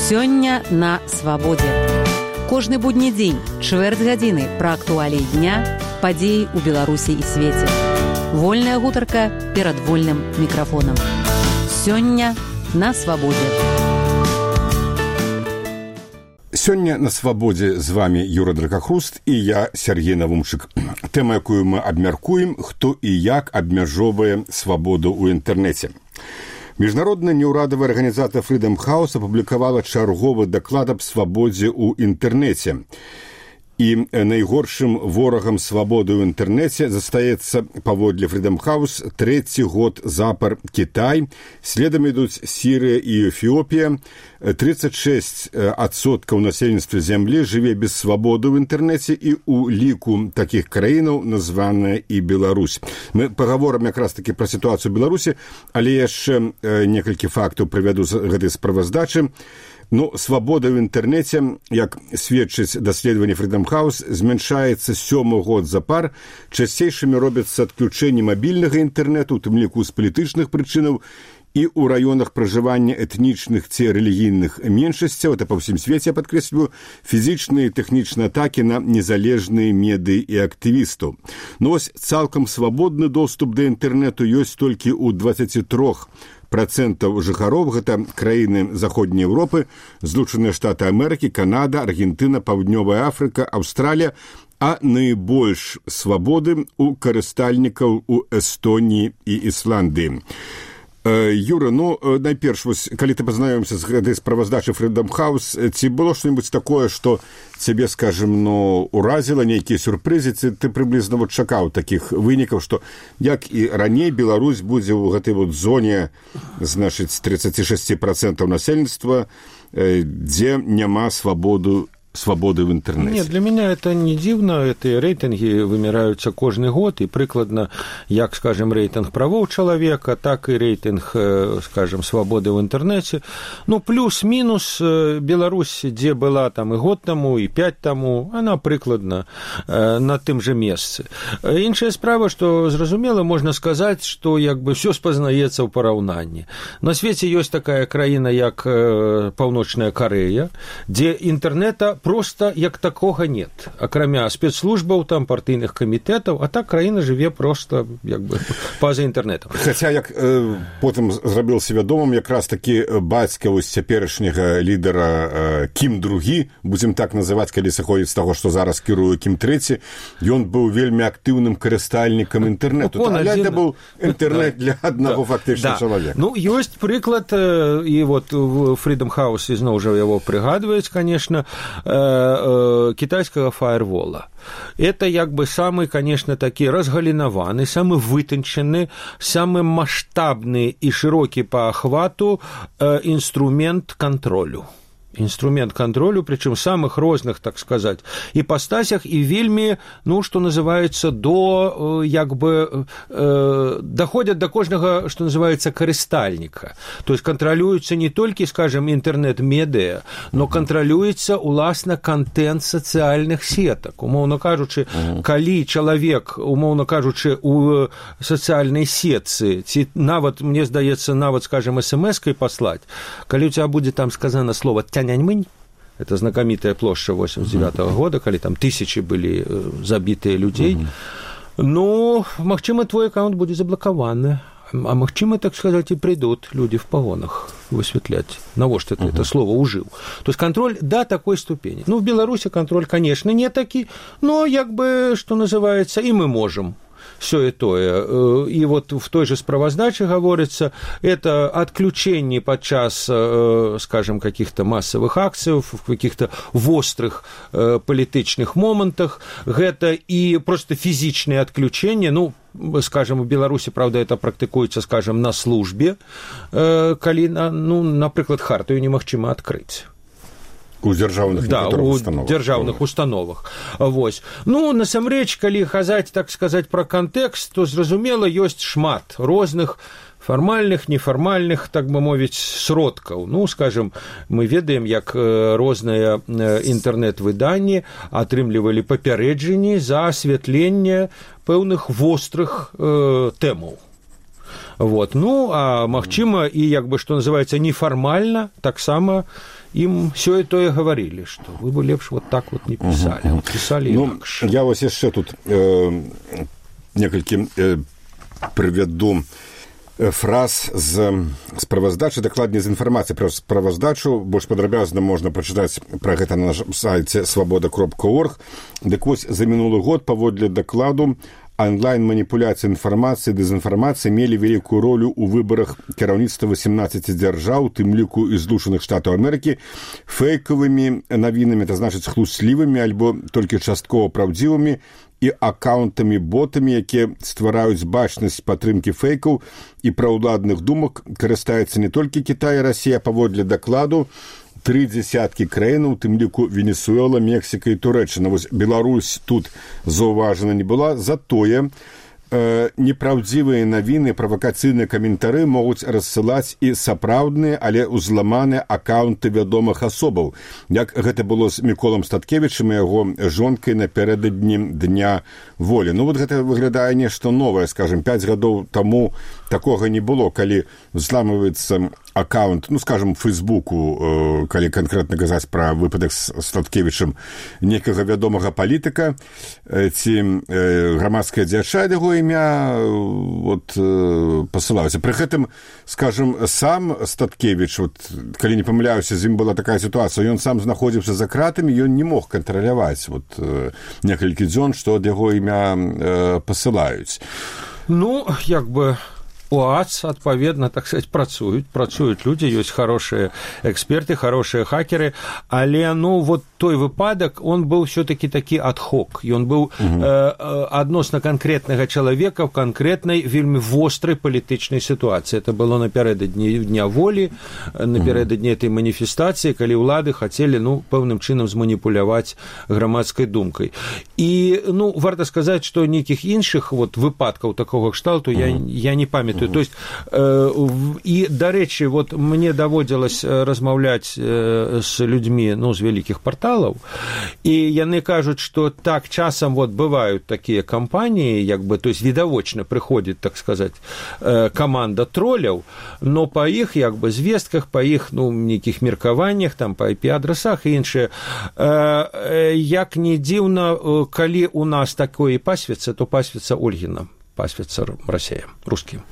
Сёння на свабодзе. Кожны будні дзень, чвэрць гадзіны пра актуаліі дня, падзеі ў Беларусі і свеце. Вольная гутарка перад вольным мікрафонам. Сёння на свабодзе. Сёння на свабодзе з вами Юра Дракахруст і я, Сергей Навумчык. Тэма, якую мы абмяркуем, хто і як абмяжоўвае свабоду ў інтэрнэце. Міжнародная неўрадавая арганізацыя Freedom House апублікавала чарговы даклад аб свабодзе ў інтэрнэце. І найгоршым ворагам свабоды ў інтэрнэце застаецца, паводле Freedom House, трэці год запар Кітай, следам ідуць Сірыя і Эфіопія. 36% насельніцтва зямлі жыве без свабоды ў інтэрнэце, і ў ліку такіх краінаў названая і Беларусь. Мы пагаворым якраз такі пра сітуацыю ў Беларусі, але яшчэ некалькі фактаў прывяду з гэтай справаздачы. Свабода ў інтэрнэце, як сведчыць даследаванне Freedom House, змяншаецца 7 год запар. Часцейшымі робяцца адключэнні мабільнага інтэрнэту, у тым ліку з палітычных прычынаў, і ў раёнах пражывання этнічных ці рэлігійных меншасцяў, это па ўсім свеце, я падкрэсліваю, фізічныя і тэхнічныя атакі на незалежныя медыі і актывістаў. Цалкам свабодны доступ да інтэрнэту ёсць толькі ў 23% жыхароў, гэта краіны Заходняй Еўропы, Злучаныя Штаты Амерыкі, Канада, Аргентына, Паўднёвая Афрыка, Аўстралія, а найбольш свабоды ў карыстальнікаў у Эстоніі і Ісландыі. Юра, найперш, калі ты пазнаёмся з гэтай справаздачай Freedom House, ці было што-небудзь такое, што цябе, скажем, уразіла, нейкія сюрпрызы, ці ты прыблізна чакаў такіх вынікаў, што як і раней Беларусь будзе ў гэтай зоне, значыць, 36% насельніцтва, дзе няма свободы в интернете. Нет, для меня это не дивно. Эти рейтинги вымираются каждый год, и прикладно, як, скажем, рейтинг правов человека, так и рейтинг, скажем, свободы в интернете. Плюс-минус Беларусь, где была там и год тому, и 5 тому, она прикладно на тым же месцы. Іншая справа, что, зразумела, можно сказать, что все спознаецца ў параўнанні. На свете есть такая краіна, як Паўночная Корея, где интернета просто як такога нет, акрамя спецслужбаў, там, партыйных камітэтаў, а так краіна жыве просто па-за інтэрнэтам. Хаця, як потым зрабіўся вядомым, якраз такі бацька цяперашняга лідара Кім II, будзем так называць, калі сыходзіць з таго, што зараз кіруе Кім III, ён быў вельмі актыўным карыстальнікам інтэрнэту. Это быў інтэрнэт для аднаго фактычна чалавека. Ёсць прыклад, і Freedom House ізноў жа яго прыгадваюць, конечно, китайского фаервола. Это самый, конечно, таки разгалинованный, самый вытонченный, самый масштабный и широкий по охвату инструмент контролю. Инструмент контролю, причем в самых розных, так сказать, ипостасях, и вельми, что называется, доходят до кожного, что называется, карыстальника. То есть контролюется не только, скажем, интернет-медиа, но контролюется, уласна, контент социальных сеток. Умоўно кажучы, калі чалавек, умоўно кажучы, у социальной сетцы, ці нават, мне здаецца, нават, скажем, смс-кой послать, калі у тебя будет там сказано слово «Тяньаньмынь», это знакомитая площадь 89-го года, когда там тысячи были забитые людей, магчыма, твой аккаунт будет заблокирован, а магчыма, так сказать, и придут люди в погонах высветлять, навошта ты это слово ужил. То есть контроль до такой ступени. В Беларуси контроль, конечно, не таки, но что называется, и мы можем. Все и тое. И в той же справаздаче говорится, это отключение подчас, скажем, каких-то массовых акций, в каких-то вострых политичных моментах, это и просто физичное отключение, скажем, в Беларуси, правда, это практикуется, скажем, на службе, калі, например, хартию немагчыма открыть. У дзяржаўных дзяржаўных установах. Насамрэч, калі казаць, так сказаць, пра кантэкст, то, зразумела, ёсць шмат розных фармальных, нефармальных, так бы мовіць, сродкаў. Скажем, мы ведаем, як розныя інтэрнэт-выданні атрымлівалі папярэджанні за асвятленне пэўных вострых тэмаў. А магчыма, і, што называецца, нефармальна, таксама ім сёе-тое гаварылі, што вы бы лепш вот так вот не пісалі. Пісалі інакш. Я вось яшчэ тут некалькі прывяду фраз з справаздачы, дакладней з інфармацыі пра справаздачу. Больш падрабязна можна прачытаць пра гэта на нашым сайце свабода.орг. Дык вось за мінулы год паводле дакладу онлайн-маніпуляцыі інфармацыі, дэзінфармацыі мелі вялікую ролю ў выбарах кіраўніцтва 18 дзяржаў, тым ліку і Злучаных Штатаў Амерыкі, фэйкавымі навінамі, это значыць хлуслівымі альбо толькі часткова праўдзівымі, і акаунтамі-ботамі, якія ствараюць бачнасць падтрымкі фэйкаў і праўладных думак, карыстаюцца не толькі Кітай і Расія, паводле дакладу 30 краінаў, тым ліку Венесуэла, Мексіка і Турэччына. Вось Беларусь тут заўважана не была, затое непраўдзівыя навіны, правакацыйныя каментары могуць рассылаць і сапраўдныя, але ўзламаныя акаунты вядомых асобаў, як гэта было з Міколам Статкевічам і яго жонкай напярэдадні Дня волі. Ну вот гэта выглядае нешта новае, скажем, 5 гадоў таму такога не было, калі взламываецца аккаунт, ну, скажем, в Фейсбуку, калі канкрэтна казаць пра выпадак з Статкевічам, некага вядомага палітыка ці грамадская дзяча яго імя вот, пасылалася. Пры гэтым, скажем, сам Статкевіч, вот, калі не памыляюся, з ім была такая сітуацыя, ён сам знаходзіўся за кратамі, ён не мог кантраляваць вот, некалькі дзён, што ад яго імя пасылаюць. Ну, як бы... ОАЦ, адпаведна, так сказать, працуюць людзі, ёсць хорошыя эксперты, хорошыя хакеры, але, ну, вот той выпадак, он был все-таки такі ад-хок, ён быў адносна канкрэтнага чалавека в канкрэтнай, вельмі вострай палітычнай сітуацыі. Это было напярэдадні Дня волі, напярэдадні этой маніфестацыі, калі ўлады хацелі, ну, пэўным чынам зманіпуляваць грамадскай думкай. І, ну, варта сказаць, што нейкіх іншых вот выпадкаў такога кшталту я не памятаю. То есть, і, дарэчы, вот мне даводзілась размаўляць з людзьмі, ну, з вялікіх парталаў, і яны кажуць, што так часам вот бываюць такія кампаніі, як бы, то есть, відавочна прыходзіць, так сказаць, каманда троляў, но па іх, як бы, звестках, па іх, ну, нейкіх меркаваннях, там, па IP-адрасах і іншае, як не дзіўна, калі у нас такое пасвіцца, то пасвіцца Ольгіна, пасвіцца Расія, рускім.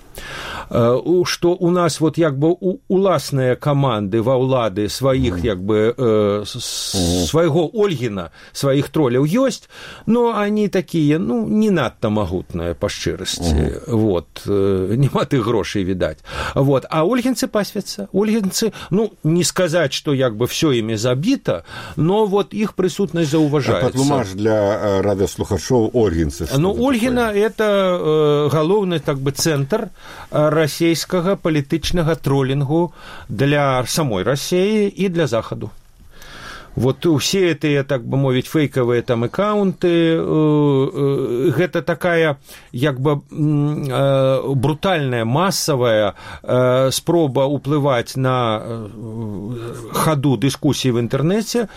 Што у нас вот як бы уласныя каманды ва ўлады сваіх як бы свайго Ольгіна, сваіх троляў ёсць, но они такія, ну, не надта магутныя па шчырасці. Вот, нема тых грошай, відаць. Вот, а ольгінцы пасвяцца. Ольгінцы, ну, не сказаць, што як бы всё імі забіта, но вот іх прысутнасць заўважаецца. Патлумаж для радыёслухачоў ольгінцы. Ну, Ольгіна это галоўны так бы цэнтр расійскага палітычнага тролінгу для самой Расіі і для Захаду. Вот усе гэтыя, так бы мовіць, фейкавыя там аккаунты, гэта такая, як бы, брутальная, масавая спроба ўплываць на хаду дыскусіі в інтэрнэце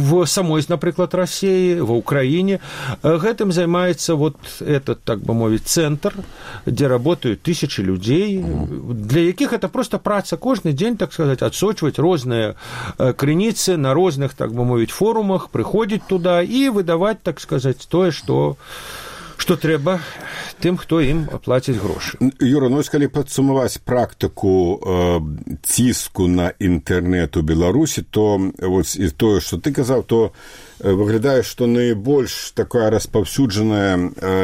в самой, напрыклад, Расіі, ва Ўкраіне. Гэтым займаецца вот этот, так бы мовіць, цэнтр, дзе работаюць тысячы людзей, для якіх это просто праца кожны дзень, так сказаць, адсочваць розныя крыніцы на розных, так бы мовіць, форумах, прыходзіць туда і выдаваць, так сказаць, тое, што трэба тым, хто ім плаціць грошы. Юра, ну, калі падсумаваць практыку ціску на інтэрнэт у Беларусі, то вот, і тое, што ты казаў, то выглядае, што найбольш такая распаўсюджаная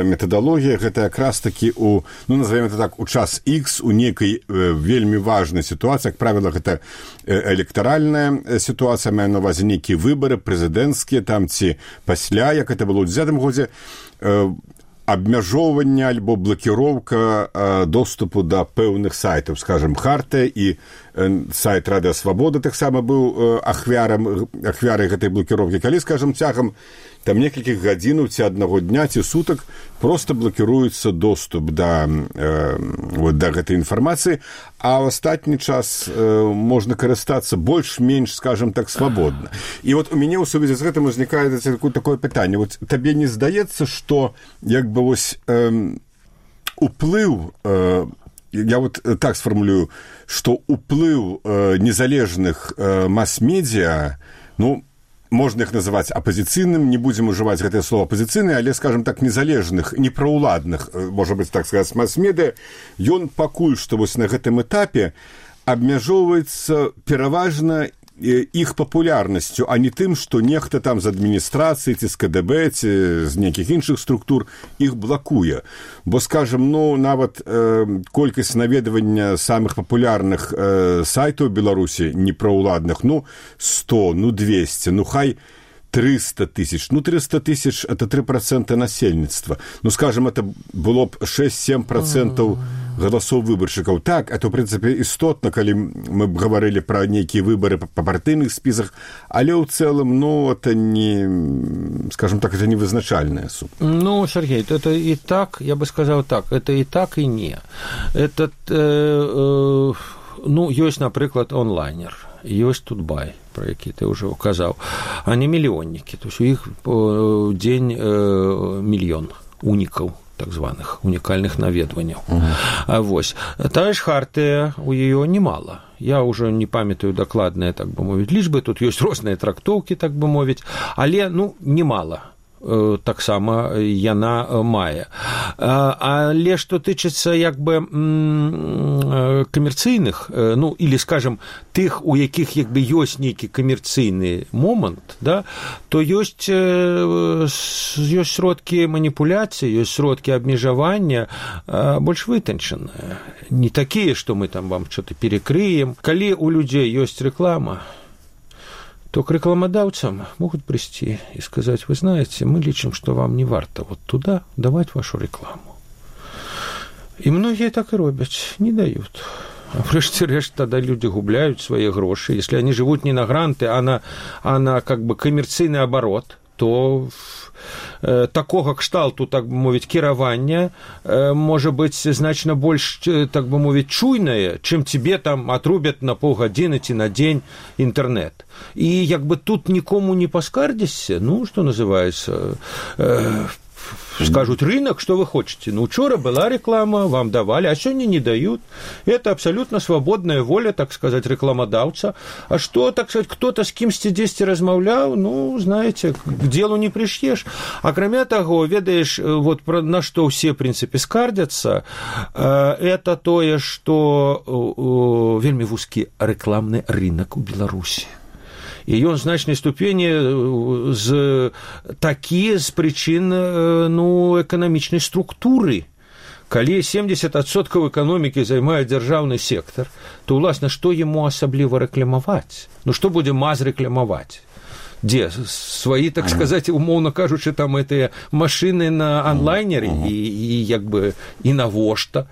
метадалогія, гэта якраз такі у, ну, назовем это так, у час X, у нейкай вельмі важнай сітуацыі, як правіла, гэта электаральная сітуацыя, мае на ўвазе нейкія выбары, прэзідэнцкія, там, ці пасля, як это было ў 10-м годзе, абмяжоўванне альбо блакіроўка доступу да пэўных сайтаў, скажем, Хартыя і сайт Радыё Свабода таксама быў ахвярай гэтай блакіроўкі. Калі, скажем, цягам там некалькіх гадзінаў ці аднаго дня ці сутак проста блакіруецца доступ да гэтай інфармацыі, а ў астатні час можна карыстацца больш-менш, скажем так, свабодна. І вот у мяне ў сувязі з гэтым узнікае такое пытанне. Вот табе не здаецца, што як бы вось уплыў я вот так сформулюю, што ўплыў незалежных мас-медіа, ну, можна іх называць апазіцыйным, не будзем ужываць гэтае слово апазіцыйны, але, скажем так, незалежных, непраўладных, можа быць, так сказаць, мас-медыа, ён пакуль што вось на гэтым этапе абмяжоўваецца пераважна іх папулярнасцю, а не тым, што нехта там з адміністрацыі ці з КДБ ці з нейкіх іншых структур іх блакуе. Бо, скажем, ну, нават колькасць наведвання самых папулярных сайтаў Беларусі непраўладных, ну, 100, ну, 200, ну, хай 300 тысяч. Ну, 300 тысяч – это 3% насельніцтва. Ну, скажем, это было б 6-7% голосов выборщиков. Так, это, в принципе, істотно, калі мы б говорили про нейкія выборы по партыйных списах, але ў цэлым, ну, это не, скажем так, это не вызначальная сумма. Ну, Сергей, это и так, я бы сказал так, это и так, и не. Это, ну, ёсць, напрыклад, онлайнер, ёсць Тутбай, про які ты уже указаў, они мільённікі, то есть у іх дзень мільён унікаў, так званых унікальных наведванняў. А вось тая ж Хартыя, у яе немало. Я уже не памятаю дакладныя, так бы мовіць, лічбы, тут ёсць розныя трактоўкі, так бы мовіць, але, ну, немало. Таксама яна мае. Але што тычыцца як бы камерцыйных, ну, или, скажем, тых, у якіх як бы ёсць нейкі камерцыйны момант, да, то ёсць сродкі маніпуляцыі, ёсць сродкі абмежавання больш вытанчаныя. Не такія, што мы там вам что-то перекрыем. Калі у людзей ёсць рэклама, то к рекламодавцам могут прийти и сказать: вы знаете, мы лічым, что вам не варто вот туда давать вашу рекламу. И многие так и робят, не дают. А врешті-решт тогда люди губляют свои гроши. Если они живут не на гранты, а на как бы коммерційний оборот, то такого кшталту, так бы мовіць, кіравання можа быць значна больш, так бы мовіць, чуйнае, чым тебе там отрубят на полгадзіны ці на дзень інтэрнэт. І як бы тут нікому не паскардзішся, ну, што называется, скажут: рынок, что вы хотите? Ну, вчера была реклама, вам давали, а сегодня не дают. Это абсолютно свободная воля, так сказать, рекламодавца. А что, так сказать, кто-то с кимсьці дзесьці размаўляў, ну, знаете, к делу не пришьешь. А кроме того, ведаешь, вот на что все, в принципе, скардятся, это тое, что вельмі вузкі рекламный рынок у Беларусі. І ён значнай ступені з прычын, ну, эканамічнай структуры. Калі 70% эканомікі займае дзяржаўны сектар, то, уласна, што яму асабліва рэкламаваць? Ну, што будзе МАЗ рэкламаваць? Дзе? Свои, так сказать, умоўно кажучы, там этыя машины на онлайнере и як бы и навошта.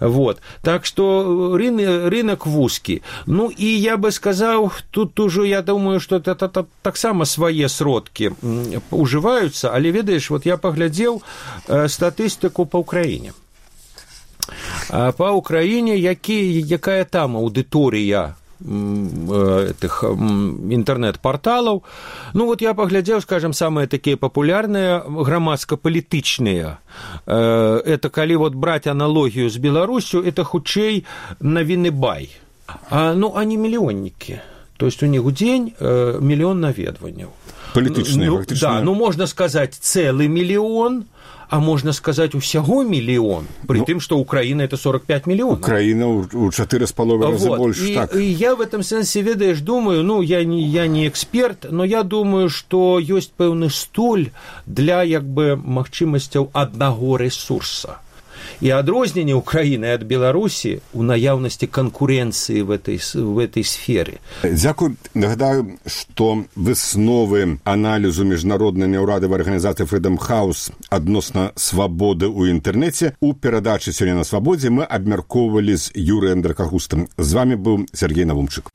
Вот. Так что рынок вузкі. Ну, и я бы сказал, тут уже, я думаю, что это таксама свае сродкі уживаются, але, ведаеш, вот я поглядел статистику по Украине. По Украине, якая там аудитория этих интернет-порталов. Ну, вот я поглядел, скажем, самые такие популярные громадско-политичные. Это, коли вот брать аналогию с Беларусью, это хутчэй навіны бай. Ну, они миллионники. То есть у них в день миллион наведванняў. Политичные, фактично. Да, ну, можно сказать, целый миллион, а можно сказать, усяго миллион, при том, что Украина это 45 миллионов. Украина у 4,5 раза вот. больше. Так. И я в этом сенсе, ведаешь, думаю, ну, я не эксперт, но я думаю, что есть пэўны столь для, як бы, магчымасцяў аднаго ресурса. И адрозненне Украины от Беларуси у наяўнасці конкуренции в этой сфере. Дзякуй. Нагадаю, что высновы анализу международной неурадовой организации Freedom House адносна свободы у интернете у перадачы «Сёння на свободе» мы абмяркоўвалі з Юрыем Дракахрустам. З вами был Сергей Навумчык.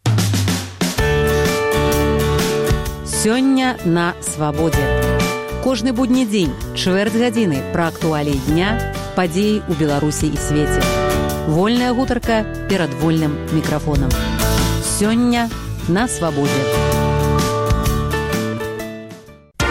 «Сёння на свободе». Кожны будні дзень, чвэрць гадзіны пра актуаліі дня, падзеі ў Беларусі і свеце. Вольная гутарка перад вольным мікрафонам. Сёння на свабодзе.